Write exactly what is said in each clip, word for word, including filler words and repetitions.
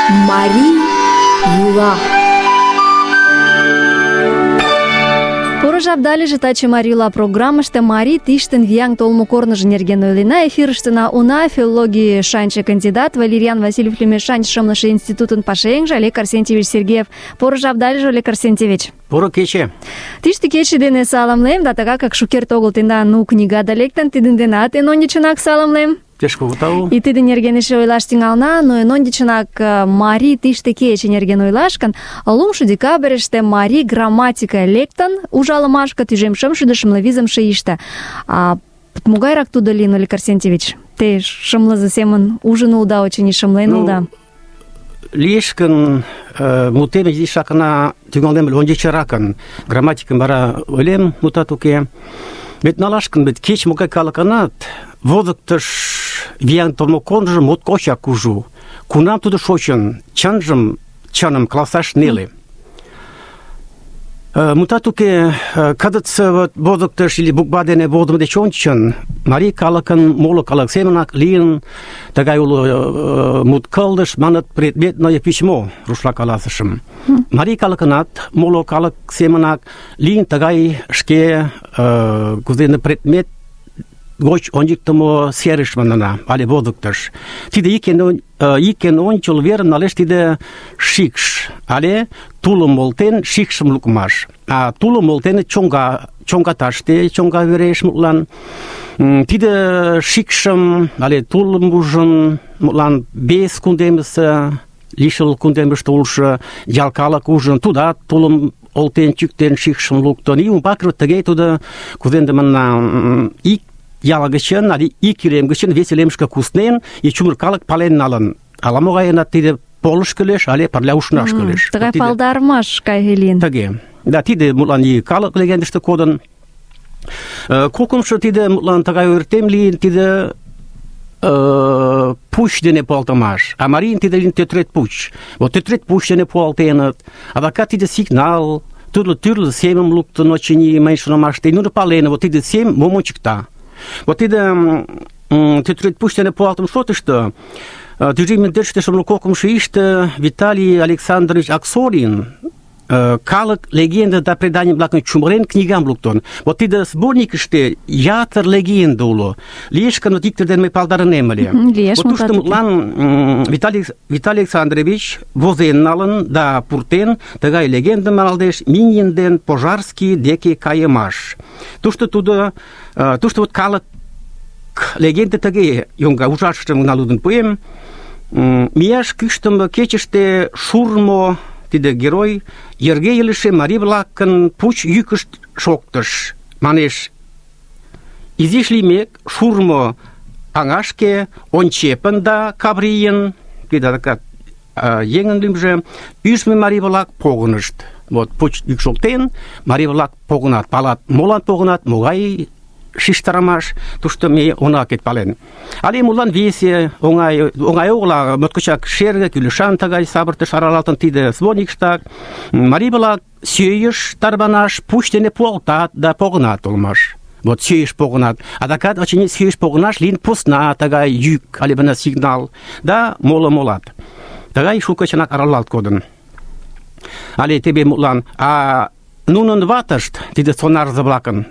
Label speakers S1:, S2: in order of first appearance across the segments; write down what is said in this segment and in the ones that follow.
S1: Марий йӱла.
S2: Поро жапдалеже таче Марий йӱла программыште марий тиштын вияҥ толмо корныжо нерген ойлена. Эфирыштына уна филологий шанче кандидат Валерьян Васильев лӱмеш шанч шымлыше институтын пашаеҥже Олег Арсентьевич Сергеев. Поро жапдалеже, Олег Арсентьевич.
S3: Поро кече.
S2: Тиште кече дене саламлем, да тыгак как шукерте огыл тендан ну книгада лектын, тидын денат эн ончычынак саламлем.
S3: Пеш кугу тау.
S2: И тидын нерген эше ойлаш тӱҥалына, но эн ончычынак марий тиште кече нерген ойлаш гын, лумшо декабрьыште марий грамматика лектын ужалымашке тӱжем шымшӱдӧ шымле визымше ийыште. А могайрак тудо лийын, Олег Арсентьевич? Те шымлызе семын ужын улыда, очыни шымлен улыда.
S3: Лиеш гын, мутем изишакына тӱҥалнем ончычракын, грамматикым вара ойлем, мутат уке. Вет налаш гын, вет кеч-могай калыкынат возыктыш виян толмо корныжо моткочак кужу. Кунам тудо шочын, чынжым, чыным каласаш неле. Мутат уке, кызытсе возыктыш или буква дене возымо деч ончычын марий калыкын моло калык семынак лийын, тыгай уло мут кылдыш, маныт предметное письмо, рушла каласышым. Марий калыкынат моло калык семынак лийын тыгай шке кузене предмет гоч ончыктымо серыш манына, але возыктыш. Тиде икен ончыл верым налеш тиде шикш, але тулым волтен шикшым лукмаш. А тулым волтен чоҥга, чоҥгаташте, чоҥга вереш мутлан. Тиде шикшым, але тулым ужын, мутлан бес кундемысе, лишыл кундемыште улшо ял калык ужын, тудат тулым олтен, чӱктен, шикшым луктын. И умбакырак тыге тудо, кузенде манна, ик яла гычын, але ик илем гычын вес илемышке куснен, и чумыр калык пален налын. Ала-могайынат тиде полыш кӱлеш, але пырля ушнаш кӱлеш.
S2: Тыгай палдарымаш кай лийын.
S3: Тыге. Да, тиде мутлан и калык легендыште кодын. Кокымшо тиде мутлан тыгай ойыртем лийын, тиде пуч дене пуалтымаш. А марийын тиде лийын тӧтрет пуч. Вот тӧтрет пуч дене пуалтеныт. Адакат тиде сигнал, тӱрлӧ-тӱрлӧ семым луктын, очыни, мый шонымаште. Нуно паленыт, вот тиде сем мом ончыкта. Вот тиде тӧтрет пуч дене пуалтым шотышто тӱжем индеште шымле кокымшо ийыште Виталий Александрович Аксорин калык легенда да преданий-влакым чумырен книгам луктын. Вот тиде сборникыште ятыр легенда уло. Лиеш гын, иктер дене мый палдарынем ыле.
S2: Лиеш,
S3: вот тушто мутлан Виталий, Виталий Александрович возен налын да пуртен тыгай легендым малдеш Минин ден Пожарский деке кайымаш. Тушто тудо, тушто вот калык легенда тыге йоҥга, ужашыштым гына лудын пуэм. Мияш кӱштымӧ кечыште шурмо тиде герой йырге илыше марий-влакын пуч йӱкышт шоктыш. Манеш, изиш лиймек, шурмо аҥашке ончепын да Каврийын, тидакат еҥын лӱмжӧ, ӱжмӧ марий-влак погынышт. Вот пуч йӱк шоктен, марий-влак погынат, палат, молан погынат, могай шижтарымаш, тушто ме она кет пален. Але мулан весе оҥай оҥай огыл, моткочак шерге, кӱлешан тыгай савыртыш аралалтын тиде сборникыштак. Марий-влак сӧйыш тарванаш пуч дене пуалтат да погынат улмаш. Вот сӧйыш погынат. Адакат, очыни, сӧйыш погынаш лийын посна тыгай йӱк, але бына сигнал, да моло-молат. Тыгай шуко чынак аралалт кодын. Але тебе мутлан, а нунын ватышт, тиде сонарзе-влакын,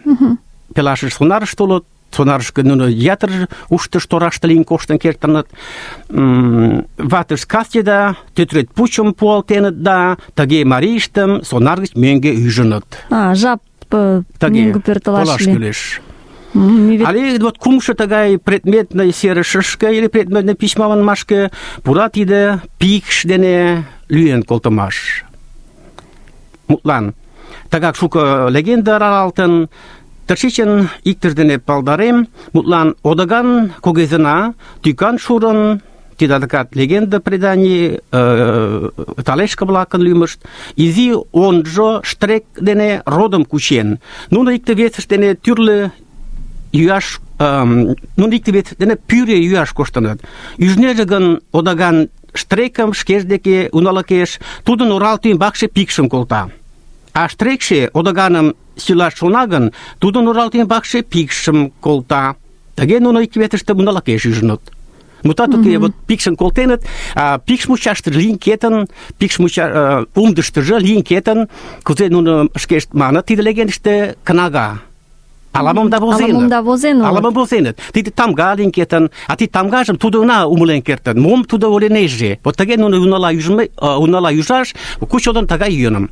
S3: пелашыш сонарышт улыт, сонарышке нуно ятыр уштыш тораште лийын коштын кертыныт. Ватыш касте да тӧтрет пучым пуалтеныт да тыге марийыштым сонар гыч мӧҥгӧ ӱжыныт.
S2: А, жап мӧҥгӧ пӧртылаш
S3: кӱлеш. Але вот кумшо тыгай предметный серышышке или предметный письма манмашке пура тиде пикш дене лӱен колтымаш. Мутлан, тыгак шуко легенда аралалтын. Тыршичын иктыж дене палдарем, мутлан одаган когезына тӱкан шурын, тиде адакат легенда преданий, талешка-влакын лӱмышт, изи онжо штрек дене родым кучен. Нуно икте-весышт дене тӱрлӧ йӱаш, нуно икте-весышт дене пӱрӧ йӱаш коштыныт. Ӱжнеже гын одаган штрекым шкеж деке уналыкеш, тудын оралте ӱмбакше пикшым колта. А штрекше одаганым силаш шона гын, тудын оралте ӱмбакше пикшым колта. Тыге нуно икте-весышт уналыкеш ӱжыныт. Мутат уке, вот пикшын колтеныт, а пикш мучашты лийын кетын, пикш муча умдыштыжы лийын кетын, кузе нуно шкешт маныт тиде легендыште кнага. Аламым да возеныт.
S2: Аламым да возен улыт.
S3: Аламым возеныт. Тиде тамга лийын кетын, а тиде тамгажым тудо уна умылен кертын. Мом тудо ойленеже. Вот тыге нуно унала южме, унала южаш, кучодон тыгай йӧным.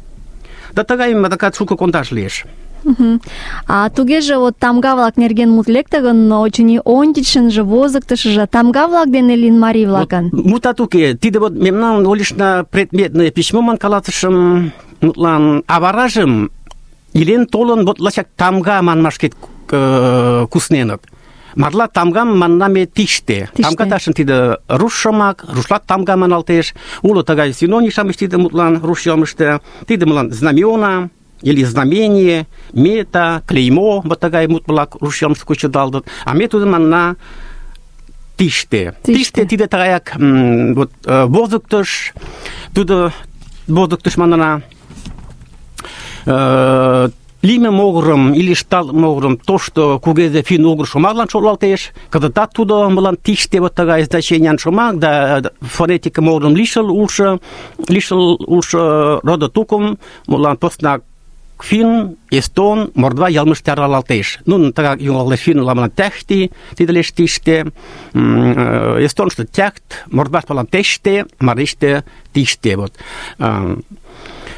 S3: Да тыгай адакат шуко кондаш лиеш.
S2: Мгм. А тугеже вот тамга-влак нерген мут лекте гын, очыни ончычшынжо, возыктышыжо тамга-влак дене лийын марий-влакын.
S3: Вот, мутат уке, тиде вот мемнан олишна предметное письмо ман каласышым, мутлан аваражым илен толын вот лачак тамга манмашкет кусненыт. Марла тамгам маннаме тиште. Тамга ташын тиде руш шомак, рушлат тамга маналтеш. Уло тыгай синоним тиде мутлан руш йылмыште. Тиде мутлан знамена или знамение, мета, клеймо, вот тыгай мут-влак руш йылмыште кучедалдыт. А ме тудым манна тиште. Тиште тиде тыгаяк вот возыктыш, тудо возыктыш манна лиме могырым или штал могырым то, что кугезе фин угр шомаглан шотлалтеш, кадатат тудо мылан тиште вот тыгай значениян шомак, да фонетика могырым лишыл улшо, лишыл улшо рода тукым, мылан поснак фин, эстон, мордва ялмыште аралалтеш. Ну, тыгак юнгалеш фин ламлан тяхти, тиделеш тиште, эстон что тяхт, мордва палан теште, мариште тиште, вот.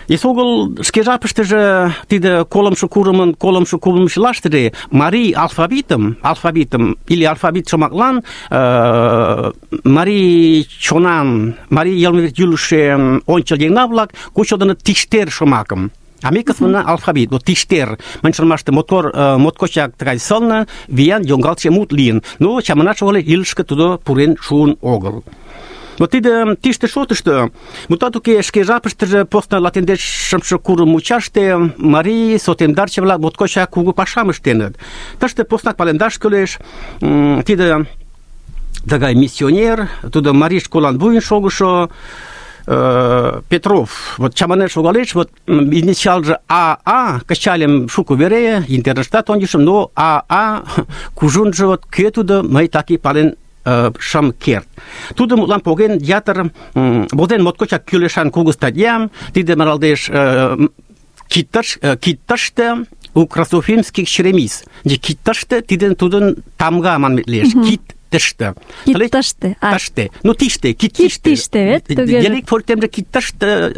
S3: Есогыл шке жапыштыже тиде колымшо курымын колымшо курымшылаштыже марий алфавитым, алфавитым или алфавит шомаклан э, марий чонан, марий йылме юлыше ончыл еҥна-влак кучылтыныт тиштер шомакым. А ме кызытна алфавит, вот тиштер, маньшылмаште мотор, э, моткочак тыгай сылне, виян йоҥгалтше мут лийын. Но чаманат шогале илышке тудо пурен шуын огыл. Вот тиде тиште шотышто, мутат уке шке жапыштыже постна латиндешымше курым мучаште марий сотемдарче-влак моткочак кугу пашам ыштеныт. Тыште поснак палемдаш кӱлеш, тиде тыгай миссионер, тудо марий школан вуйын шогышо Петров, вот чаманен шогалеш, вот инициалже АА, кычальым шуко вере, интернетат ончышым, но АА кужунжо вот кӧ тудо, мый таки пален шым керт. Тудо мутлан поген ятыр возен моткочак кӱлешан кугу статьям, тиде маралдеш киттыште украсофильмских черемис. Киттыште тиден тудын тамга манмет лиеш. Кит тышты.
S2: Киттыште.
S3: Тышты. Ну тиште, кит тиште.
S2: Тиште, вет?
S3: Диалект фольтемже киттыште,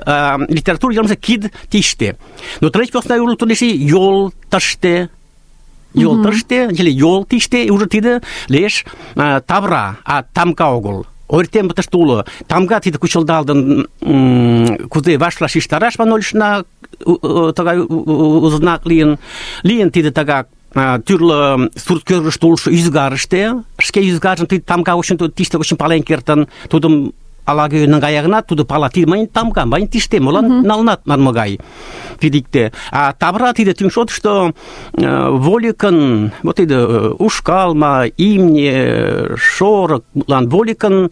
S3: литература йылмыже кид тиште. Но треть посна юлы тулеши йол тыште. Йол тыште, или йол тиште, и уже тиде леш тавра, а тамга огыл. Ойртем бытышты улы. Тамга тиде кучылдалдын кузе вашла шиштараш манолишна тагай узнак лийын. Лийын тиде тагак түрлі сурт көргішті улшы үзгарышты. Шке үзгаржын тиде тамга үшін тиште үшін пален кертін. Тудым алагөйінің аяғына туды пала тилмайын тамга, майын тиште, молан налнат манмагай фидикте. А табра тиде түншот, что воликын, вот тиде ушкалма, имне, шорок, лан воликын,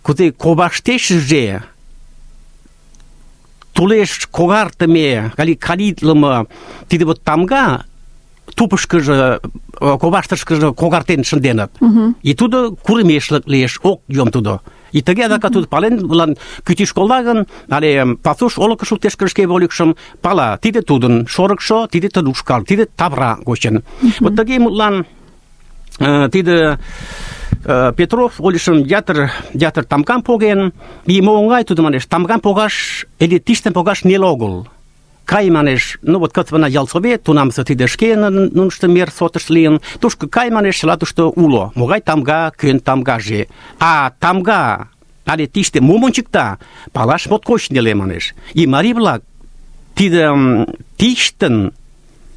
S3: кузе кобаштешже, тулеш когартыме, кали калитлымы, тиде вот тамга, тупышкыжы, кобаштышкыжы когартен шынденат. И туды курымешлык лиеш, ок йом туды. И тыге адака туды пален, булан күти школлагын, але пасуш олыкы шултешкірішке воликшым, пала, тиде тудын шорыкшо, тиде туды ушкал, тиде табра гочын. Вот тыге мутлан тиде Петров олишым ятыр, ятыр тамкан поген, и моңгай туды манеш, тамкан погаш, или тиштен погаш нел огыл. Кай манеш, ну вот кăтвăна ялсовет, тунамсы тиде шке нунышты мер сотыш лийын, тушкы кай манеш латушты уло, могай тамга, көн тамгаже. А тамга, але тиште мом ончыкта, палаш моткоч неле манеш. И марий-влак тиде тиштын,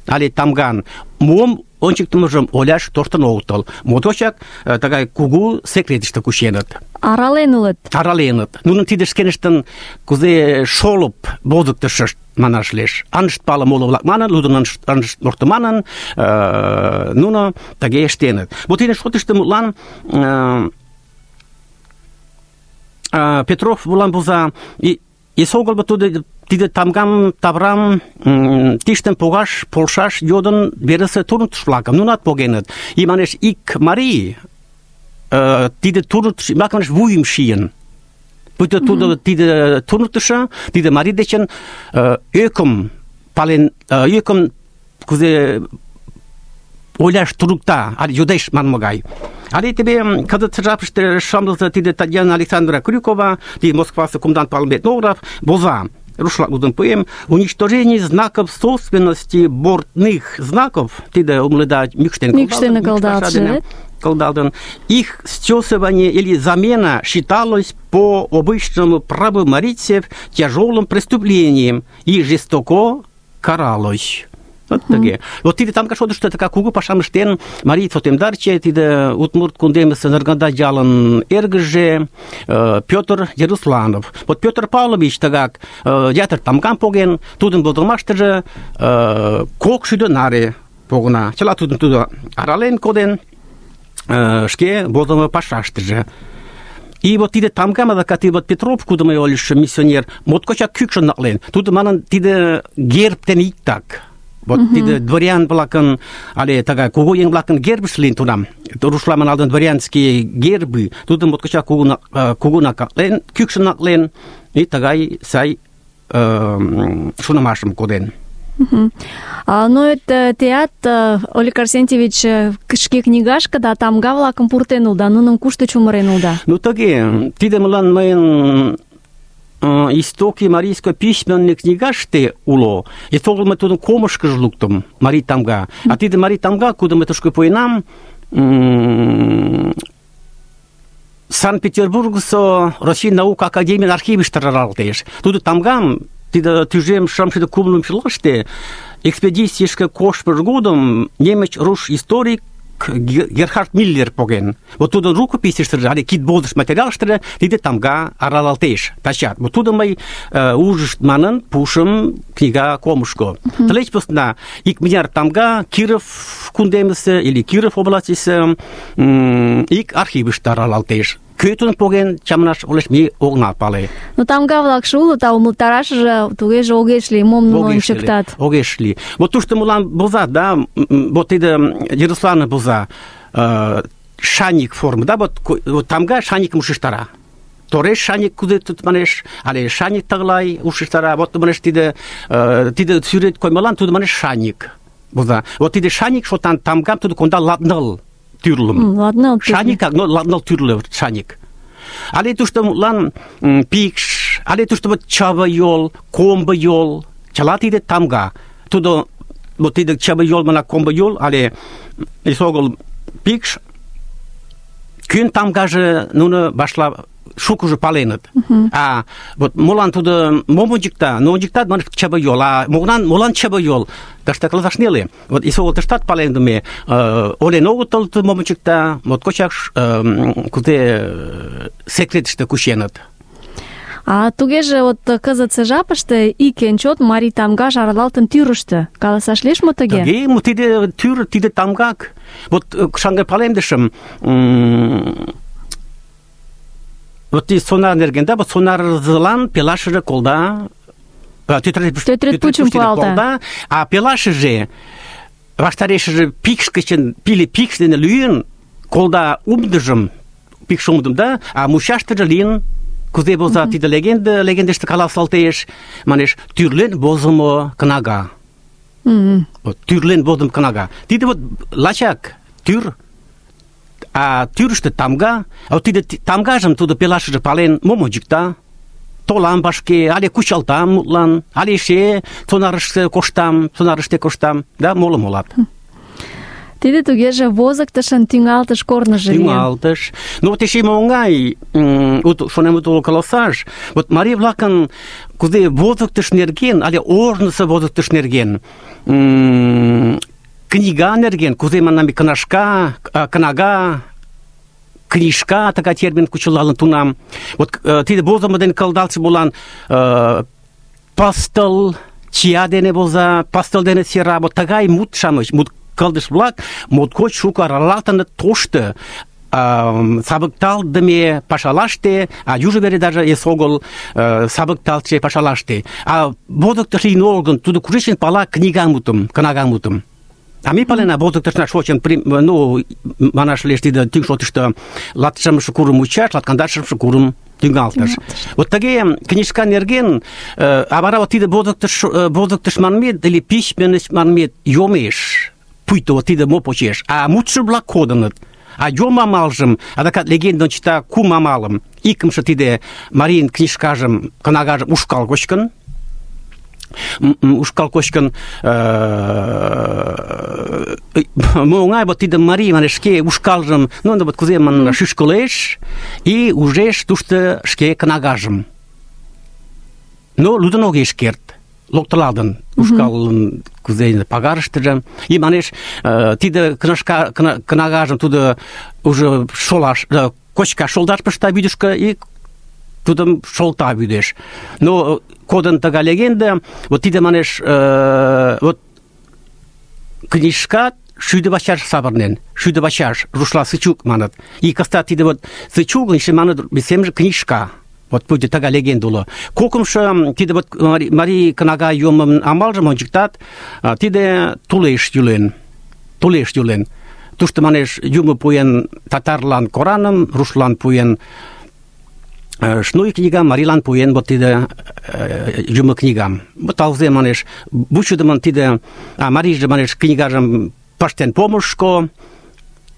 S3: але тамган, мом ончыктымыжым оляш тоштын огытыл. Моточак тагай кугу секретышты кученыт.
S2: Арален улыт.
S3: Араленыт. Нунын тиде шкеныштын кузе шолып возыктышышт манаш леш. Анышт палы моло-влак манын, лудын анышт морты манын, нуно таге эштеныт. Вот тиде шотышты мутлан Петров булан буза и эсогыл туды тиде тамгам таврам тиштен погаш полшаш йодын бересе турнтышлакым нунат погеныт. И манеш ик марий э, тиде туныктышо ӱмбаке вуйым шийын. Пуйто тудо тиде туныктышо, тиде марий дечын э, ӧкым пален, э, ӧкым кузе ойлаш турукта, али йодеш манме гай. Але тебе кызыт жапыште шамлыза тиде Татьяна Александровна Крюкова, тиде Москвасе комендант Павел Этнограф, воза, рушлак лудын пуэм, уничтожение знаков собственности бортных знаков, тиде умледа Микштен Колдалден, их стесывание или замена считалось по обычному праву марийцев тяжелым преступлением и жестоко каралось. Вот таке. Вот тиде там кашоды, что така кугу пашам штен, Мария Фотемдарче, тиде Утмурт Кундемеса Нарганда Джалан Эргже, Петр Ярусланов. Вот Петр Павлович тагак ятыр тамган поген, тудын болдырмаштыже кок шӱдӧ наре погына. Чыла тудын тудо арален коден, шке болдырмо пашаштыже. И вот тиде тамгам, адакат вот Петров, куда мый олыш миссионер, моткочак кӱкшын наклен. Тудо манын тиде герб ден иктак. Вот mm-hmm. тиде дворян-влакын, але тага кугу еҥ-влакын гербышт лийын тунам. Рушламын алдын дворянские гербы, тудым моткочак кугу наклен, кӱкшын наклен, и тагай сай шонымашым коден.
S2: Uh-huh. А, ну, это теат Олег Арсентьевич шке книгашка да тамга-влакым пуртен улда, нуным кушто чумырен улда?
S3: Ну, таге, тиде мылан мыйын истоки марийской письменной книгаште уло. И тогда мы тудым комышкыж луктым, Марий тамга. А тиде Марий тамга, куда мы тушко поинам, Санкт-Петербургсо Россия наука академия архивиште раралтеш. Туды тамгам тиде тӱжем шымшӱдӧ кумлым чылаште экспедицийышке коштмыж годым немыч руш историк Герхард Миллер поген. Вот тудын рукописьыштыже, але кидболдыш материалыштыже тиде тамга аралалтеш. Тачат. Вот тудым мый ужышт манын пушым книга комышко. Тылеч посна икмыняр тамга Киров кундемысе или Киров областьысе ик архивыште аралалтеш. Кӧ тудым поген чаманаш олеш ме огына пале.
S2: Ну тамга-влакше улыт, а умылтарашыже тугеже огеш лий, мом нуно ончыктат.
S3: Огеш лий. Вот тушто мылам возат, да, вот тиде Ярославна воза, шаник формы, да, вот, вот тамга шаникым ушештара. Тореш шаник кузе тут манеш, але шаник таглай ушештара, вот манеш тиде тиде сюрет кой мылам туды манеш шаник воза. Вот тиде шаник шо тамгам туды конда ладныл тюрлым.
S2: Ладныл
S3: шаник, но ладныл тюрлы шаник. Але тушто лан пикш, але тушто вот чава йол, комба йол, чала тиде тамга. Тудо вот тиде чава йол мана комба йол, але исогол пикш, кün тамгаже нуно башла шукужы паленыт. Uh-huh. А вот молан тудо момончикта, но ончиктат мана чаба йол, а молан молан чаба йол. Ташта класашнели. Вот исогол таштат палендыме, олен огытыл момончикта, моткочак кузе секретыште кученыт.
S2: А тугеже вот кызытсе жапыште ик эн чот марий тамга аралалтын тӱрыштӧ. Каласаш лиеш мо тыге?
S3: Тыге, мо тиде тӱр, тиде тамгак. Вот шаҥге палемдышым, вот тиде сонар нерген, да, вот сонарзылан пелашыже колда, тӧтырет пучым пуалта, а пелашыже ваштарешыже пикш гычын, пиле пикш дене лӱен, колда умдыжым, пикш умдым, да, а мучаштыже лийын кузе воза тиде легенда, легендыште каласалтеш, манеш, тӱрлен возымо кнага. Вот, тӱрлен возымо кнага. Тиде вот лачак тӱр, а тӱрыштӧ тамга, а вот тиде тамгажым тудо пелашыже пален, мом ончыкта, толам башке, але кучалтам мутлан, але эше сонарыште коштам, сонарыште коштам, да, моло молат.
S2: Тиде тугеже возыктышын тӱҥалтыш корныжо лийын.
S3: Тӱҥалтыш. Ну вот эше оҥай, вот шонем утыл каласаш, вот марий-влакын кузе возыктыш нерген, але ожнысо возыктыш нерген, книга нерген, кузе манам книжка, кнага, книжка, така термин кучылалын тунам. Вот тиде возымо дене кылдалтше болан пастыл, чия дене воза, пастыл дене сера, вот тагай мут-шамыч, мут кылдыш-влак моткоч шуко аралалтыныт тошто сабыкталдыме пашалаште, а южо вере даже эсогыл сабыкталтше пашалаште. А возыктыш лийын огыл гын, тудо кушечын пала книгам мутым, кнагам мутым. А ме палена, возыктышна шочын, ну, манаш лиеш тиде тӱҥ шотышто латшымше курым мучаш, латкандашымше курым тӱҥалтыш. Вот тыге книжка нерген, а вара вот тиде возыктыш, возыктыш манмет или письменность манмет йомеш, пуйто вот тиде мо почеш, а мутшо-влак кодыныт. А йом амалжым, адакат легендым чыта кум амалым, икымше тиде марийын книжкажым, кнагажым ушкал кочкын, ушкал кочкын, оҥай вот тиде марий, манеш, шке ушкалжым, ну, вот кузе манына, шӱшкылеш, и ужеш тушто шке кнагажым. Но лудын огеш керт, локтыладын ушкалын кузе пагарыштыже. И манеш, тиде книжка, кнагажым тудо уже шолаш, кочка шолдаш пышта вӱдышкӧ, и тудым шолта вӱдеш. Но кодын тыгай легенда, вот тиде, манеш, э, вот книжка шӱдӧ пачаш савырнен, шӱдӧ пачаш, рушла сычук маныт. И кастат тиде вот сычук, еще маныт, семже книжка. Вот пуйто тыгай легенда уло. Кокымшо, тиде вот марий кнага йомын амалжым ончыктат, тиде тулеш юлен, тулеш юлен. Тушто, манеш, юмо пуэн татарлан Кораным, рушлан пуэн шнуй книгам, марийлан пуэн вот тиде юмо книгам. Вот алзе, манеш, бучудымын тиде, а марийже, манеш, книгажым пыштен помышко,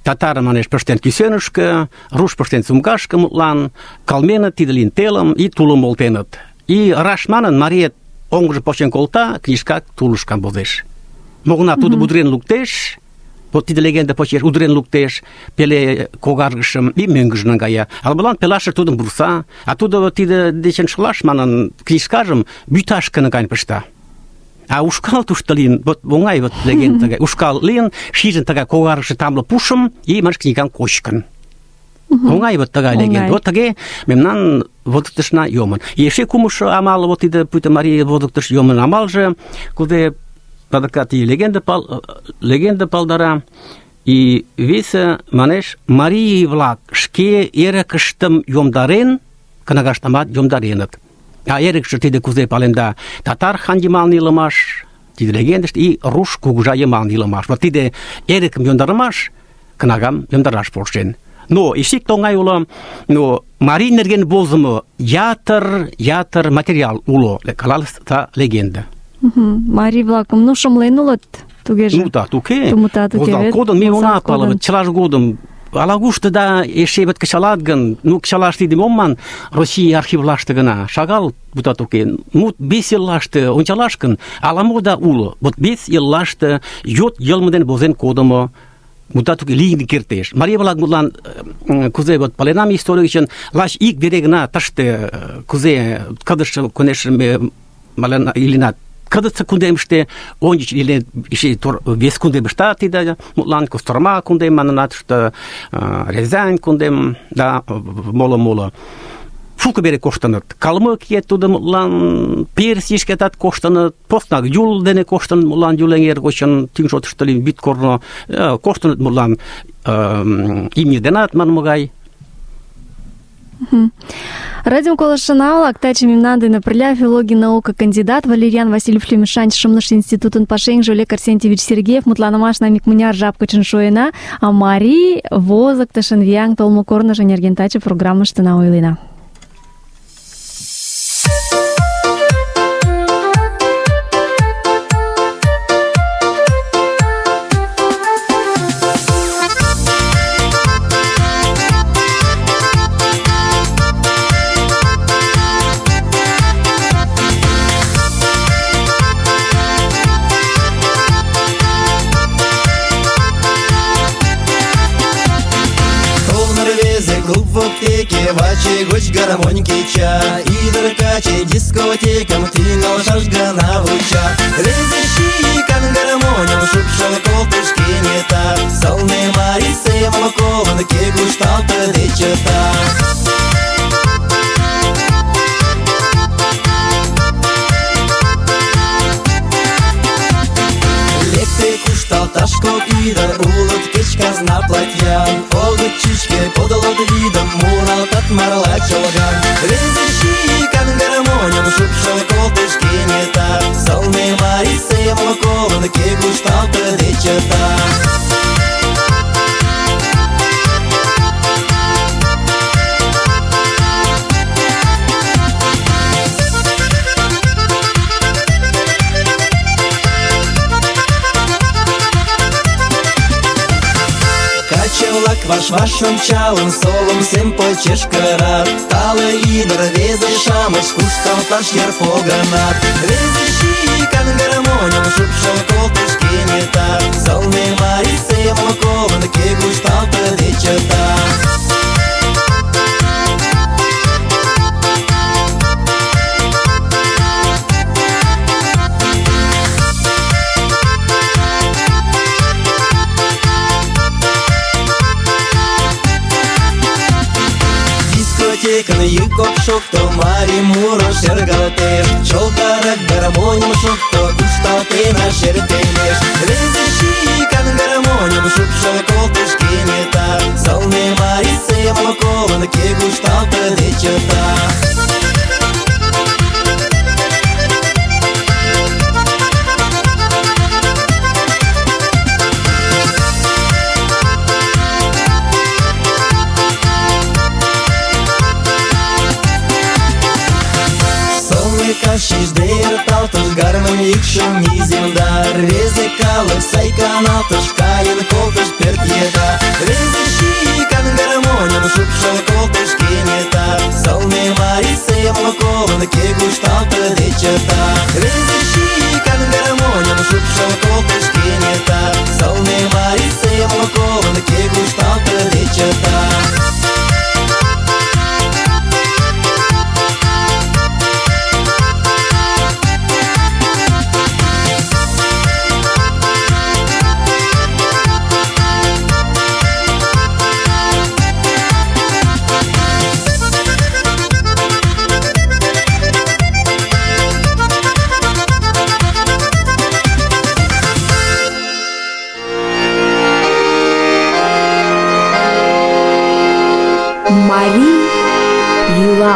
S3: татар, манеш, пыштен кӱсенышкӧ, руш пыштен сумкашке мутлан, кылменыт тиде лийын телым, и тулым олтеныт. И раш манын, мариет оҥжым почен колта, книжка тулышкан возеш. Могына тудо удырен луктеш, вот тиде легенда почеш удырен луктеш, пеле когаргышым и мӧҥгыжӧ наҥгая. Ала-молан пелашыже тудым вурса, а тудо тиде дечын шылаш манын книжкажым вӱташке наҥгаен пышта. А ушкал тушто лийын, вот оҥай вот легенда тыгай. Ушкал лийын, шижын тыгай когаргыше тамле пушым, и манеш книгам кочкын. Оҥай вот тыгай легенда. Вот тыге мемнан возыктышна йомын. И эше кумшо амал, вот тиде пуйто марий возыктыш йомын амалже, кузе адакат и легенда пал, легенда палдара, и весе, манеш, марий-влак шке эрыкыштым йомдарен, кнагаштымат йомдареныт. А эрыкше тиде кузе паленда, татар хан йымалне илымаш, тиде легендыште, и руш кугыжа йымалне илымаш. Вот тиде эрыкым йомдарымаш, кнагам йомдараш полшен. Но эше ик оҥай уло, но марий нерген возымо ятыр, ятыр материал уло, калалыста легенда.
S2: Марий-влакым, ну, шымлен улыт, тугеже.
S3: Ну, да, туке.
S2: Тумутат уке,
S3: возал
S2: вет?
S3: кодын, ме
S2: Возал
S3: она палыват,
S2: кодын.
S3: чылаж годым. Ала-кушто да эше бит кычалат гын, ну, кычалаш тиде мом ман, Россия архивлаште гына, шагал бутат уке. Мут бес еллаште ончалаш гын, ала-мо да уло. Вот бес еллаште йот йылме дене возен кодымо, мутат уке лийын кертеш. Марий-влак мутлан кузе вот паленам история гычын, лач ик вере гына тыште кузе кыдыш конеш малена илинат. Кыдытса кундемыште ончыч или еще вес кундемышта тиде мутлан Кострома кундем манынат, что Рязань кундем, да, моло-моло. Шулко бере коштыныт. Калмык ет тудо мутлан Персишкетат коштыныт, постнак Юл дене коштыныт мутлан Юлеҥер гочын тӱҥ шотышто лийын вӱд корно коштыныт мутлан имне денат манмыгай.
S2: Радио колышына-влак, таче мемнан дене пырля филологий наука кандидат Валерьян Васильев Лемешан Шымлыш институтын пашаеҥже Олег Арсентьевич Сергеев мутланымашна икмыняр жап гычын шуена, а марий возыктышын вияҥ толмо корныжо нерген таче программыштына ойлена.
S4: Ваче гоч гармоньки ча, идыр каче дискотекам тӱҥал шаш гана вуча. Рвезе шийкан гармоньым шупшын колтыш кенета, сылне марий семым колын, кӧ кушталтыде чыта. Лекте кушталташ кок ӱдыр, улыт кеч казна платьян, огыт чӱчкӧ подылыт вӱдым, муралтат марла чолган. Рвезе шийкан гармоньым шупшын колтыш кенета, сылне марий семым колын, кӧ кушталтыде чыта. ваш-ваш ончалын, совым сем почеш кырат. Тале ӱдыр рвезе-шамыч кушталташ йыр погынат. Рвезе шикан гармоньым шупшыл колтыш кенета. Сылне марий семым колын, кӧ кушталтыде чыта. Дискотекын йӱк ок шокто, марий муро шергалтеш. Чолгарак гармоньым шокто, кушталтена шер темеш. Рвезе шикан гармоньым шупшыл колтыш кенета. Сылне марий семым колын, кӧ кушталтыде чыта. Шижде эрталтыш гармонь йӱкшым иземда. Рвезе калык сай каналтыш, каен колтыш пӧрт еда. Рвезе шикан гармоньым шупшыл колтыш кенета. Сылне марий семым колын, кӧ кушталтыде чыта. Рвезе шикан гармоньым шупшыл колтыш кенета. Сылне марий семым колын, кӧ кушталтыде чыта.
S1: Марий йӱла.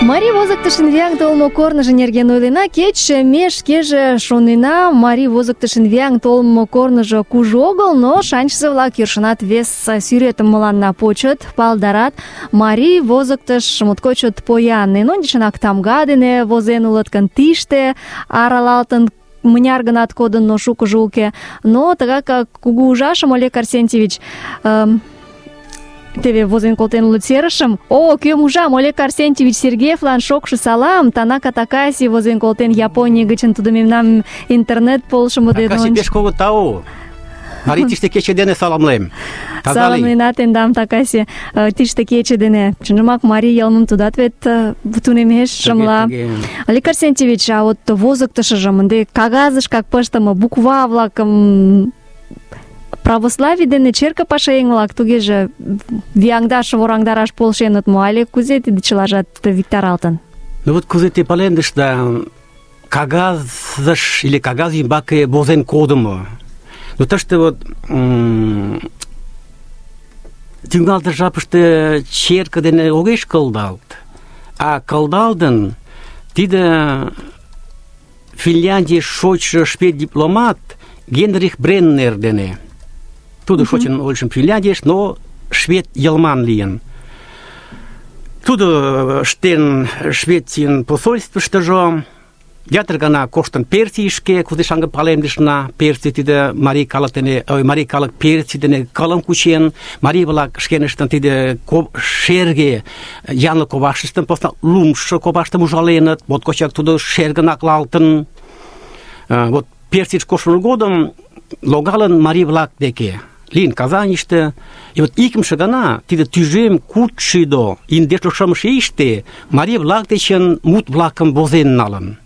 S2: Марий возыктышын вияҥ толмо корныжо нерген ойлена, кеч ме шкеже шонена, марий возыктышын вияҥ толмо корныжо кужу огыл, но шанчызе-влак йӧршынат вес сӱретым мыланна почыт, палдарат. Марий возыктыш моткоч чот поян. Эн ончычынак тамга дене возен улыт гын, тиште аралалтын мыняр гынат кодын, но шукыжо уке. Но тыгак кугу ужашым, Олег Арсентьевич, эм, теве возен колтен улыт серышым. О, кӧм ужам, Олег Арсентьевич Сергеевлан шокшо салам. Танака Такаси возен колтен Японий гычын, тудо мемнам интернет полшымо дене.
S3: Такаси пеш кугу тау. Марий тиште кече дене саламлем.
S2: Саламлена тендам, Такаси, тиште кече дене. Чынжымак марий йылмым тудат вет тунемеш, шымла. Олег Арсентьевич, а вот возыктышыжым ынде кагазышкак пыштыме буква-влакым православий дене черке пашаеҥ-влак тугеже вияҥдаш, вораҥдараш полшеныт мо, але кузе тиде чылажат виктаралтын?
S3: Ну вот кузе те палемдышда, кагазыш или кагаз ӱмбаке возен кодымо. Ну тыште вот тӱҥалтыш жапыште черке дене огеш кылдалт, а кылдалтын тиде Финляндий шочшо швед дипломат Генрих Бреннер дене. Тудо шочын ойлышым Финляндийыш, но швед йылман лийын. Тудо ыштен Швецийын посольствыштыжо, ятыр гана коштын Персийышке, кузе шаҥге палемдышна, Персий тиде марий калык дене, ой, марий калык Персий дене кылым кучен, марий-влак шкеныштын тиде шерге янлык коваштыштым, посна лумшо коваштым ужаленыт, моткочак тудо шергын аклалтын. Вот Персийыш коштмо годым логалын марий-влак деке, лийын Казаньыште. И вот икымше гана тиде тӱжем кудшӱдӧ индешлу шымше ийыште марий-влак дечын мут-влакым возен налын.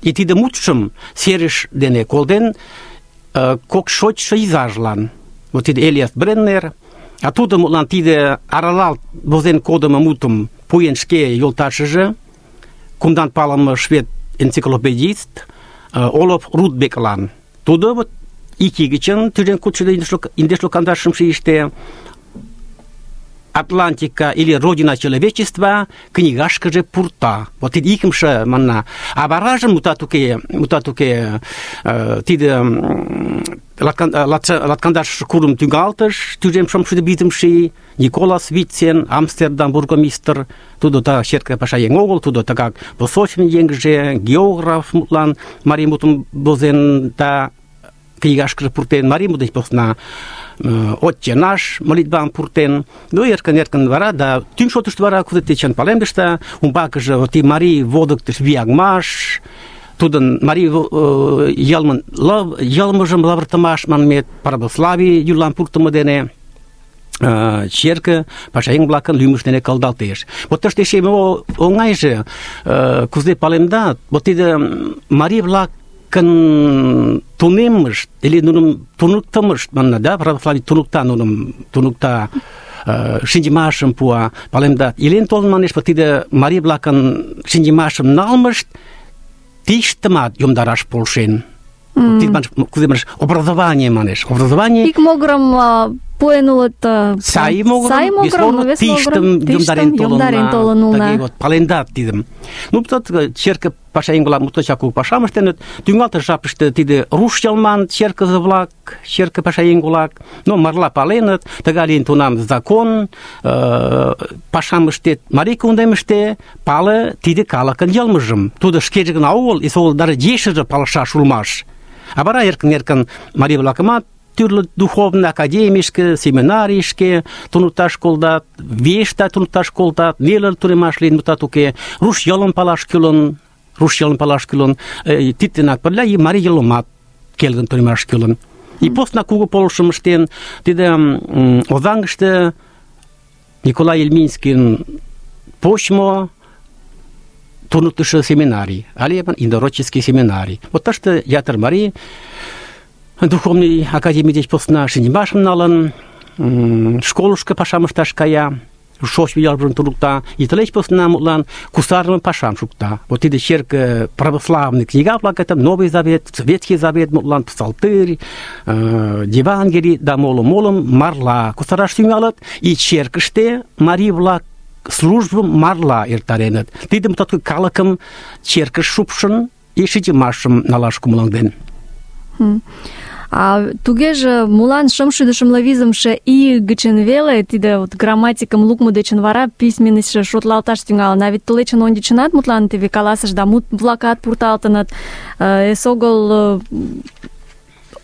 S3: И тиде мутшым серыш дене колден кок шочшо изажлан. Вот тиде Элиас Бреннер, а тудо мутлан тиде аралалт возен кодымо мутым пуэн шке йолташыже, кумдан палыме швед энциклопедист Олаф Рудбеклан. Тудо вот ик ий гычын тӱжем кудшӱдӧ индешлу кандаш шымше ийыште Атлантика или Родина человечества книгашкыже пурта. Вот тиде икымше манна. А варажым мутат уке, мутат уке, тиде латкандаш курым тӱҥалтыш, тӱжем шымшӱдӧ визымше Николас Вицин, Амстердам бургомистр, тудо та черке пашаеҥ огыл, тудо тыгак посольствын еҥже, географ мутлан марий мутым возен да книгашкыже пуртен, марий мут деч посна «Отче наш» молитвам пуртен. Ну, эркын-эркын вара, да тӱҥ шотышто вара кузе течен палемдыште, умбакыже вот и марий водыктыш вияҥмаш, тудын марий йылмын йылмыжым лавыртымаш манмет, православий юллан пуртымо дене черке пашаеҥ-влакын лӱмышт дене кылдалтеш. Вот тыште эше оҥайже кузе палемдат, вот тиде марий-влак кын тунеммышт, или нуным туныктымышт, манна, да, православий туныкта нуным, туныкта, шинчымашым пуа, палемдат. Илен толын манеш, вот тиде марий-влакын шинчымашым налмышт тиштымат йомдараш полшен. Тиде манеш, кузе манеш, образование манеш. Образование...
S2: Ик могырым пуэн улыт...
S3: Сай могырым, вес могырым тиштым йомдарен толын улна. Тыге вот, палемдат тидым. Ну, тот черке пашаеҥ-влак моткочак кугу пашам ыштеныт. Тӱҥалтыш жапыште тиде руш йылман черкызе-влак, черке пашаеҥ-влак, ну, марла паленыт, тыгай лийын тунам закон, пашам ыштет, марий кундемыште пале тиде калыкын йылмыжым. Тудо шкеже гына огыл, эсогыл дара ешыже палышаш улмаш. А вара эркын-эркын марий-влакымат тӱрлӧ духовный академийышке, семинарийышке туныкташ колтат, виешда туныкташ колтат, неле тунемаш лийын, мутат уке, руш йылым палаш кӱлын, руш йылым палаш кӱлын, тидденак пырля и марий йылымат келгын тунемаш кӱлын. И посна кугу полышым ыштен, тиде Озаҥыште Николай Ельминскийын почмо туныктышо семинарий, але инородческий семинарий. Вот тыште ятыр марий духовный академий деч посна шинчымашым налын, школышко пашам ышташ кая, шочмо ялжым туныкта, и тылеч посна мутлан кусарыме пашам шукта. Вот тиде черке православный книга-влак, это Новый Завет, Ветхий Завет, мутлан Псалтырь, Евангелий да молым-молым марла кусараш тӱҥалыт, и черкыште марий-влак службым марла эртареныт. Тидым тот калыкым черкыш шупшын и шинчымашым налаш кумылаҥден.
S2: А тугеже молан шымшӱдӧ шымле визымше ий гычын веле тиде вот грамматикым лукмо дечын вара письменностьше шотлалташ тӱҥалын? А вет тылечын ончычынат мутлан теве каласыш да мут-влакат пурталтыныт, эсогыл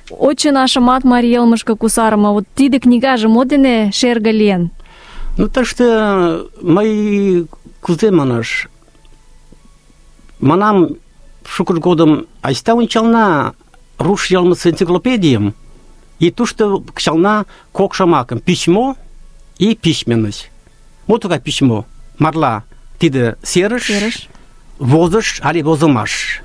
S2: «Отче нашымат марий йылмышке кусарыме». Вот тиде книгаже мо дене шерге лийын?
S3: Ну, тыште мый кузе манаш, манам шукыж годым айста ончална руш йылмысе энциклопедийым, и тушто кычална кок шомакым: письмо и письменность. Мо тугай письмо? Марла тиде серыш, возыш але возымаш.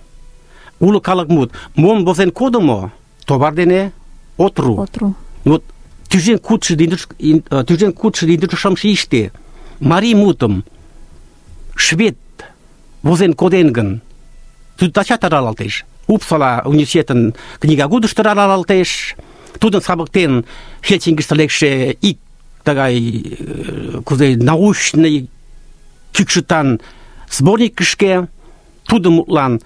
S3: Уло калык мут. Мом возен кодымо, товар дене отру.
S2: Отру.
S3: Вот тӱжем кудшо тӱжем кудшо шымше ийыште марий мутым швед возен коден гын, тудо тачат аралалтеш. Упсала университетын книгагудышто аралалтеш. Тудын савыктен Хельсинкиште лекше ик тыгай кузе научный кӱкшытан сборникышке, тудо мутлан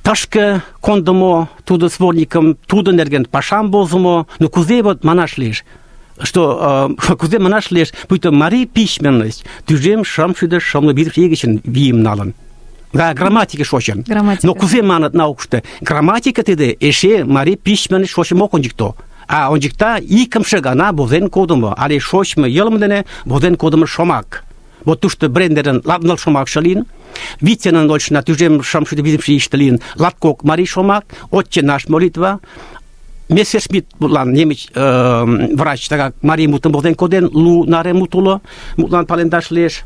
S3: тышке кондымо, тудо сборникым, тудо нерген пашам возымо. Ну кузе вот манаш лиеш, что кузе манаш лиеш, пуйто марий письменность тӱжем шымшӱдӧ шымле визымше ий гычын вийым налын. Да, грамматика шочын.
S2: Грамматика.
S3: Но кузе манат наукышто? Грамматика тиде эше марий письменность шочым ок ончыкто. А ончыкта икымше гана возен кодымо, але шочмо йылме дене возен кодымо шомак. Вот тушто Брендерын латныл шомакше лийын, Вицинын очна тӱжем шымшӱдӧ визымше ийыште лийын латкок марий шомак, «Отче наш» молитва, Мессершмитт мутлан немыч врач тыгак марий мутым возен коден, лу наре мут уло, мутлан палемдаш лиеш.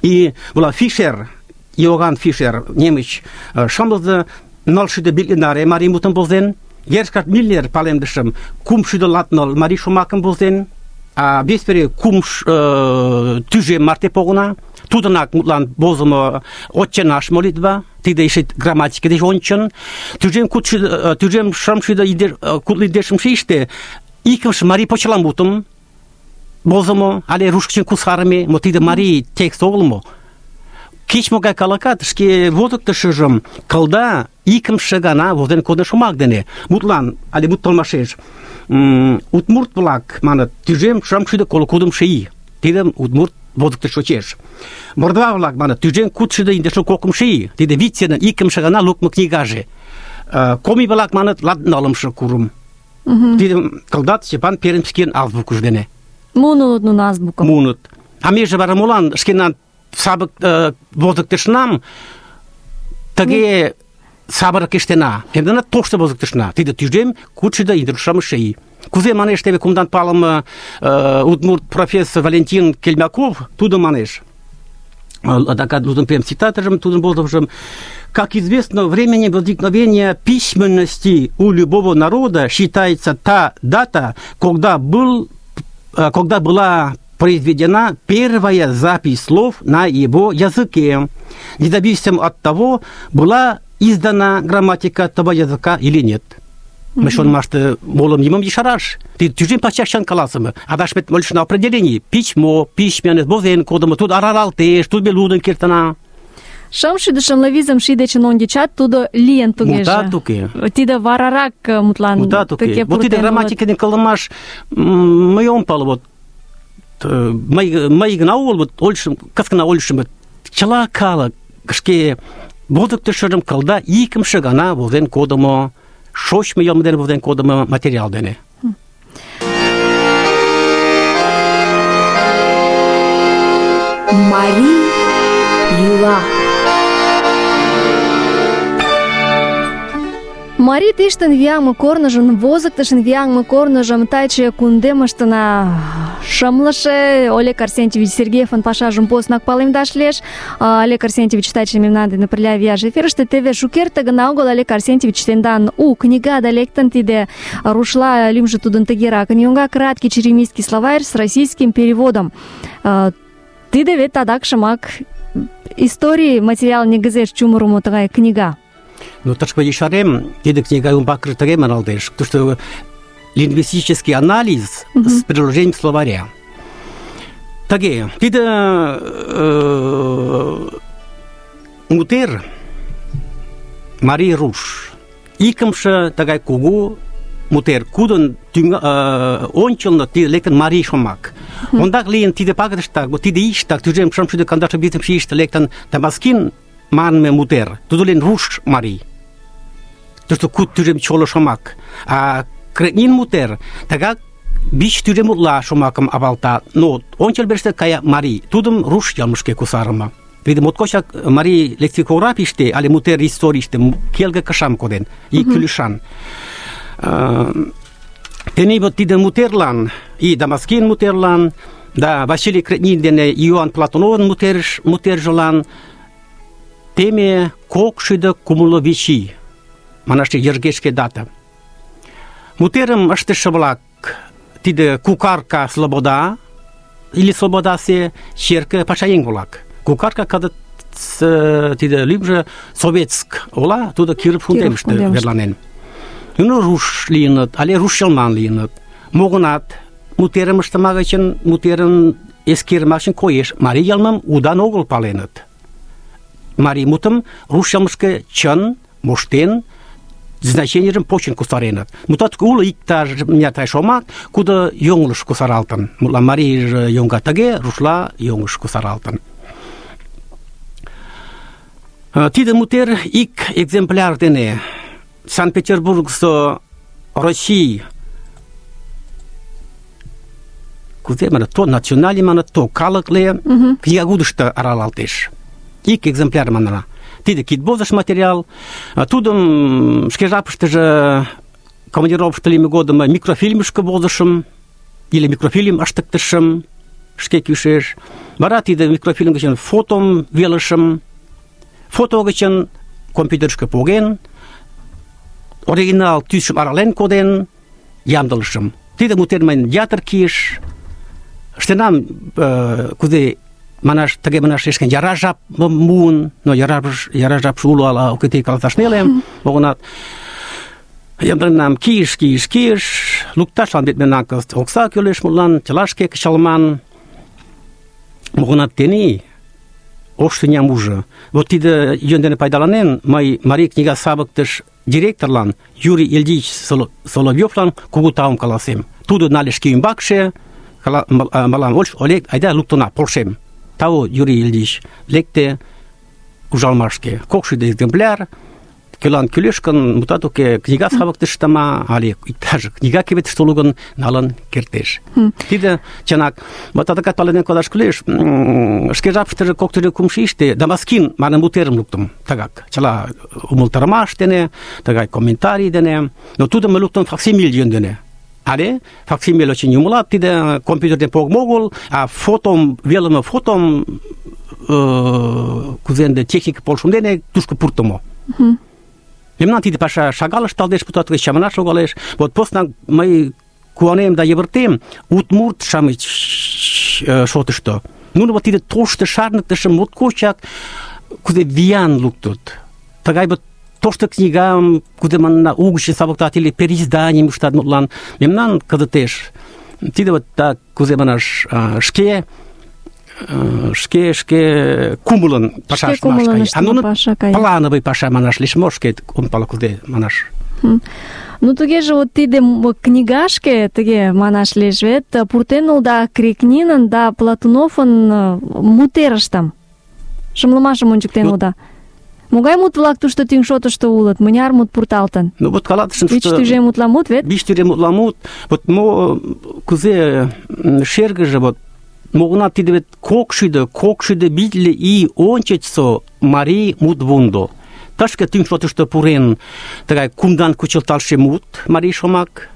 S3: И була Фишер, Иоганн Фишер, немыч шымлызе нылшӱдӧ битле наре марий мутым возен, Герхард Миллер палемдышым кумшӱдӧ латныл марий шомакым возен, а веспере кум тӱжем марте погына. Тудынак мутлан возымо «Отче наш» молитва, тиде эше грамматика деч ончын. Тӱжем шымшӱдӧ кудло индешымше ийыште икымше марий почеламутым возымо, але руш гычын кусарыме, мо тиде марий текст огыл мо. кеч-могай калыкат шке возыктышыжым кылда икымше гана возен кодын шомак дене. Мутлан, але мут толмашеш, удмурт-влак маныт тӱжем шымшӱдӧ коло кудымшо ий. Тидым удмурт возыктыш шочеш. Мордва-влак маныт тӱжем кудшӱдӧ индешлу кокымшо ий. Тиде Витсенын икымше гана лукмо книгаже. Коми-влак маныт латнылымше курым. Тидым кылдат Степан Пермскийын азбукыж дене.
S2: Мунут нуно азбукым.
S3: Мунут. А меже вара молан шкенан сабык возыктышнам тыге сабырак ыштена. Эндена тошто возыктышна. Тиде тӱжем кудшӱдӧ индешлу шымше ий. Кузе манеш теве кумдан палыме удмурт профессор Валентин Кельмяков, тудо манеш. Адакат тудын прям цитатажым, тудын возымжым: как известно, временем возникновения письменности у любого народа считается та дата, когда был, когда была произведена первая запись слов на его языке, независимо от того, была издана грамматика этого языка или нет. Мы что машты молом не можем шараш. Ты тюжим почти каласом. А дашь мне больше на определении. Письмо, письменность, бозен кодом. Тут араралтеш, тут белуден киртана.
S2: Шымшӱдӧ шымле шидечын ондичат тудо лийын тугеже.
S3: Мутат уке.
S2: Тиде варарак мутлан
S3: мутат уке. Вот тиде грамматика не калымаш мы он пал вот мы мы гнау вот ольшим, как на ольшим чала кала шке возыктышым кылда икымше гана возен кодымо. Шоч мы йомден возен кодымо материал дене.
S1: Мари Юла.
S2: Мари тиштын вияҥме корныжым, возыктышын вияҥме корныжым таче кундемыштына шымлыше Олег Арсентьевич Сергеевын пашажым поснак палемдаш лиеш. Олег Арсентьевич таче мемнан дене пырля вияш эфирыште. Теве шукерте гына огыл Олег Арсентьевич тендан у книгада лектын, тиде рушла лӱмжӧ тудын тыгеракын йоҥга: краткий черемисский словарь с российским переводом. Тиде вет адакшымак историй материал негізеш чумырымо тыгай книга.
S3: Ну, ташка ешарем, тиде книга умбакыр тыге маналдеш, то что лингвистический анализ mm-hmm. с приложением словаря. Таге, тиде э, мутер Мари Руш. Икымше тагай кугу мутер, кудын э, ончылно тиде лектен Мари шомак. Mm-hmm. Ондак лийын тиде пагытыштак, вот тиде иштак, тӱжем шымшӱдӧ кандаше визымше ийыште лектын Дамаскин манме мутер, тудо лен Руш Мари. То, что куд тюрем чоло шомак. А кретнин мутер, тагак бич тюрем утла шомаком авалта. Но он челберште кая Мари, тудым руш ялмышке кусарыма. Видим, моткочак Мари лексикографиште, али мутер историште, келге кашам коден, и кюлишан. Тени вот тиде мутерлан, и Дамаскин мутерлан, да, Василий Кретнин дене Иоанн Платоновын мутерш, мутержолан, теме кокшӱдӧ кумло вич ий. Манаште йыргешке дата. Мутерым ыштыше-влак тиде Кукарка Слобода или Слободасе черке пашаеҥ-влак. Кукарка кызыт тиде лӱмжӧ Советск ола, тудо Киров кундемыште верланен. Нуно руш лийыныт, але руш йылман лийыныт. Могынат мутерым ыштыма гычын, мутерын эскермаш гычын коеш, марий йылмым удан огыл паленыт. Марий мутым руш йылмышке чын, моштен, значениежым почын кусареныт. Мутат уло иктаж мыняр шомак, кудо йоҥылыш кусаралтын. Мутлан марийже йоҥга тыге, рушла йоҥыш кусаралтын. Тиде мутер ик экземпляр дене Санкт-Петербургсо Россий кузе манат, то националий манат, то калыкле книгагудышто аралалтеш. Ик экземпляр манана. Тиде кидбозыш материал. Тудым шке жапыштыже командировкышто лийме годым микрофильмышке возышым или микрофильм ыштыктышым шке кӱшеш. Вара тиде микрофильм гычын фотом велышым. Фото гычын компьютерышке поген, оригинал тӱсшым арален коден, ямдылышым. Тиде мутер мыйын ятыр кийыш. Ыштенам, кузе манаш, тыге манаш эшкен яра жап муын, но яра, яра жап уло, ала окыте каласаш неле, огынат. Ямдыленам кийыш, кийыш, кийыш, лукташлан бет мемнан окса кӱлеш мутлан, чыла шке кычалман. Огынат тений ош тӱням ужо. Вот тиде йӧн дене пайдаланен, мый Марий книга савыктыш директорлан Юрий Ильич Соловьевлан кугу таум каласем. Тудо нале шке ӱмбакше, мылам Олег, айда луктына, полшем. Тау Юрий Ильич лекте ужалмашке. Кокшӱдӧ экземпляр, кӧлан кӱлеш гын, мутат уке, книга савыктыштыма але иктаж книга кевытыште уло гын, налын кертеш. Тиде чынак, вот адакат пален кодаш кӱлеш, шке жапыштыже кок тӱрлӧ кумшо ийыште Дамаскин манын мутерым луктым. Тыгак, чыла умылтарымаш дене, тыгай комментарий дене, но тудым мый луктым факсимиль йӧн дене. Але факсимиль очень умылат, тиде компьютерден погым огыл, а фотом, велыме фотом кузе ынде техника полшым дене тушко пуртымо. Мемнан тиде паша шагал ышталдеш, путат гыч чаманаш логалеш. Вот поснак мый куанем да йывыртем удмурт-шамыч шотышто. Нуно вот тиде тошто шарныктышым моткочак кузе виян луктыт. Тыгай вот тошто книгам, кузе манна угыч савыктат или переизданийым ыштат, мутлан мемнан кызытеш тиде вот так кузе манаш шке шке шке кумылын пашаш маш кай. А нуно плановый паша манаш лиш мошке он палакуде манаш.
S2: Ну тугеже вот тиде книгашке тыге манаш лиеш вет пуртен улда Крикнинын да Платуновын мутерыштым. Шымлымашым ончыктен улда. Могай мут-влак тушто тӱҥ шотышто улыт? Мыняр мут пурталтын?
S3: Ну вот калатышын,
S2: Вич тӱжем мутла мут вет?
S3: Вич тӱжем мутла мут. Вот мо кузе шергыже вот могына тиде вет кокшӱдӧ, кокшӱдӧ витле ий ончычсо марий мутвундо. Тышке тӱҥ шотышто пурен тыгай кумдан кучылталше мут, марий шомак.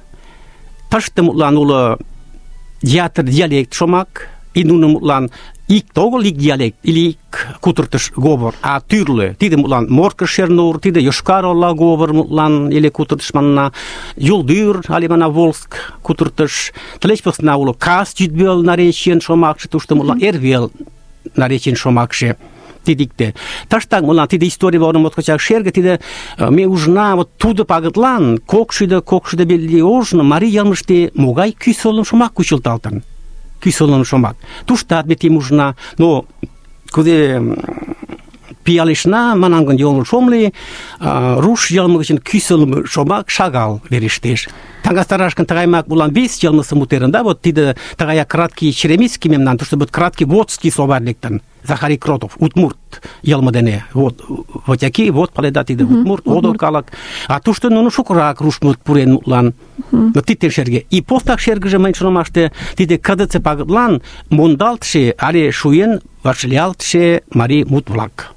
S3: Тыште мутлан уло ятыр диалект шомак, и нуно мутлан ик огыл ик диалект или ик кутыртыш говор, а тӱрлӧ. Тиде мутлан Морко Шернур, тиде Йошкар-Ола говор мутлан или кутыртыш манна, Юлдӱр але мана Волск кутыртыш. Тылеч посна уло Кас йӱдвел наречийын шомакше, тушто мутлан эрвел наречийын шомакше. Тидикте. Таштак мутлан тиде историй ворым моткочак шерге, тиде ме ужна вот тудо пагытлан кокшӱдӧ кокшӱдӧ витле ожно марий йылмыште могай кӱсолым шомак кучылталтын. Кӱсолым шомак. Туштат ме тим ужна, но кузе пиалешна, манам гын йоҥылыш ом лий, руш йылме гычын кӱсолым шомак шагал верештеш. Таҥастараш гын тыгаймак улан вес йылмысе мутерын, да, вот тиде тыгаяк краткий черемисский мемнан, тушто вот краткий водский словарь лектын. Захарий Кротов, удмурт йылме дене. Вот вотяки, вот паледа тиде удмурт, одо калык. А тушто нуно шукырак руш мут пурен мутлан. Но тиде шерге. И постак шергыже мыйын шонымаште тиде кыдыце пагытлан мондалтше але шуен вашлиялтше марий мут-влак.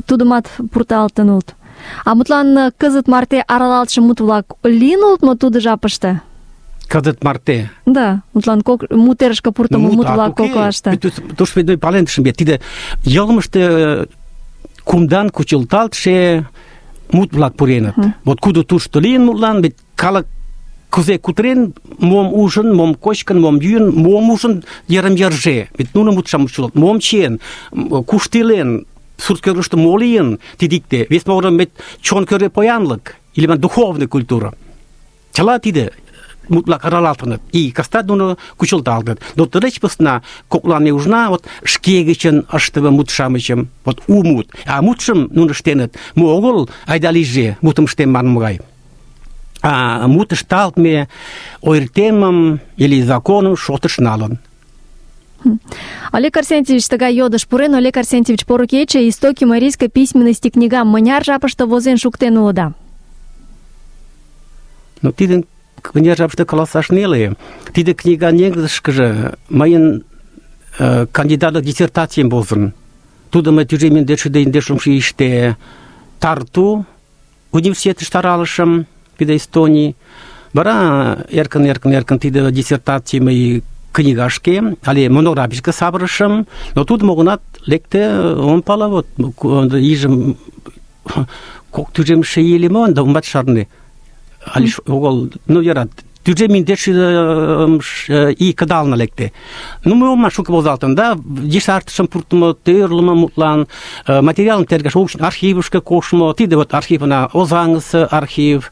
S2: Тудымат пурталтын улыт. А мутлан кызыт марте аралалтше мут-влак лийын улыт мо тудо жапыште?
S3: Кызыт марте.
S2: Да, мутлан кок мутерышке пуртымо мут-влак коклаште.
S3: Тушто мый палемдышым вет, тиде йылмыште кумдан кучылталтше мут-влак пуреныт. Вот кудо тушто лийын мутлан, вет калык кузе кутырен, мом ужын, мом кочкын, мом йӱын, мом ужын йырым-йырже. Вет нуно мутшам учылыт, мом чиен, кушто илен, сурт-кӧргыштӧ мо лийын, тидикте. Вес могырым вет чон кӧргӧ поянлык, или духовный культура. Чыла тиде мутлак аралалтыныт, и кастат нуно кучылталтыт. Но тылеч посна коклан ме ужна вот шке гычын ыштыме мут-шамычым, вот у мут. А мутшым нуно ыштеныт, мо огыл айда лийже мутым ыштем манме гай. А мут ышталтме ойыртемым или законым шотыш налын.
S2: Олег Арсентьевич тыгай йодыш пурен. Олег Арсентьевич, поро кече, «Истоки марийской письменности» книгам мыняр жапыште возен шуктен улыда?
S3: Ну, тидын мыняр жапыште каласаш неле. Тиде книга негізышкыже мыйын э, кандидатлык диссертациям возын. Тудо мый тӱжем индешшӱдӧ индешымше ийыште Тарту университетыште аралышым, тиде Эстонии. Вара эркын эркын эркын тиде диссертаций мый книгашке, але монографишке савырышым, но тудо могынат лекте, ом пала, вот ийжым кок тӱжемше ий ыле мо, да омат шарне. Але огыл, ну, яра, тӱжем индеш ий кыдална лекте. Ну, мы омма шуко возалтын, да, десартышым пуртымо, тӧрлымӧ мутлан, материалым тергаш, архивышке коштмо, тиде вот архивна Озаҥысе архив,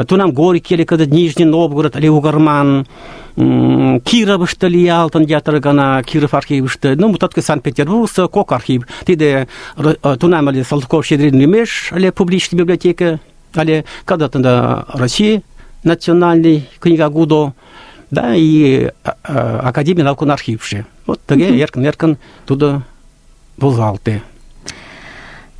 S3: тунам Горький или кызыт Нижний Новгород или Угарман, Кировышто лиялтын ятыр гана, Киров архивыште, ну, мутатке Санкт-Петербургысо кок архив. Тиде тунам але Салтыков-Щедрин лӱмеш але публичный библиотека, але когда-то Россия национальный книга Гудо, да, и Академия наукын архивше. Вот таге эркын-эркын тудо возалте.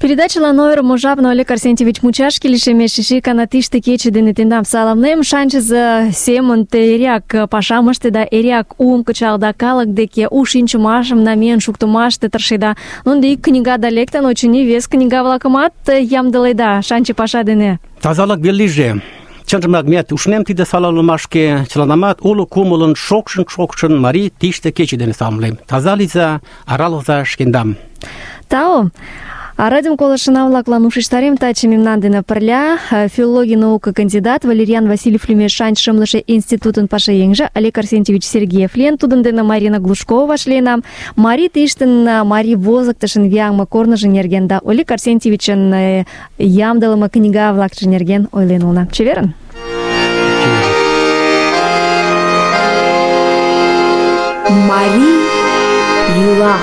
S2: Передачалан ойырымо жапно Олег Арсентьевич мучашке лишемеш, эше икана тиште кече дене тендам саламлем. Шанчызе семын те эреак пашам ыштеда, эреак уым кычалда, калык деке у шинчымашым намиен шуктымаште тыршеда. Ну, ынде ик книгада лектын, очыни, вес книга-влакымат ямдыледа шанче паша дене.
S3: Тазалык вел лийже. Чынжымак меат ушнем тиде саламлымашке, чыланамат уло кумылын шокшын-шокшын марий тиште кече дене саламлем. Таза лийза, аралыза шкендам.
S2: Тау. А радиом колышына-влаклан ушештарем таче мемнан дене пырля филологий наука кандидат Валерьян Васильев лӱмеш Шанч шымлыше институтын пашаеҥже Олег Арсентьевич Сергеев лийын, тудын дене Марина Глушкова вашлийынам. Марий тиштын марий возыктышын вияҥме корныжо нерген да Олег Арсентьевичын ямдылыме книга-влакше нерген ойлен улына. Чеверын!
S1: Марий йӱла.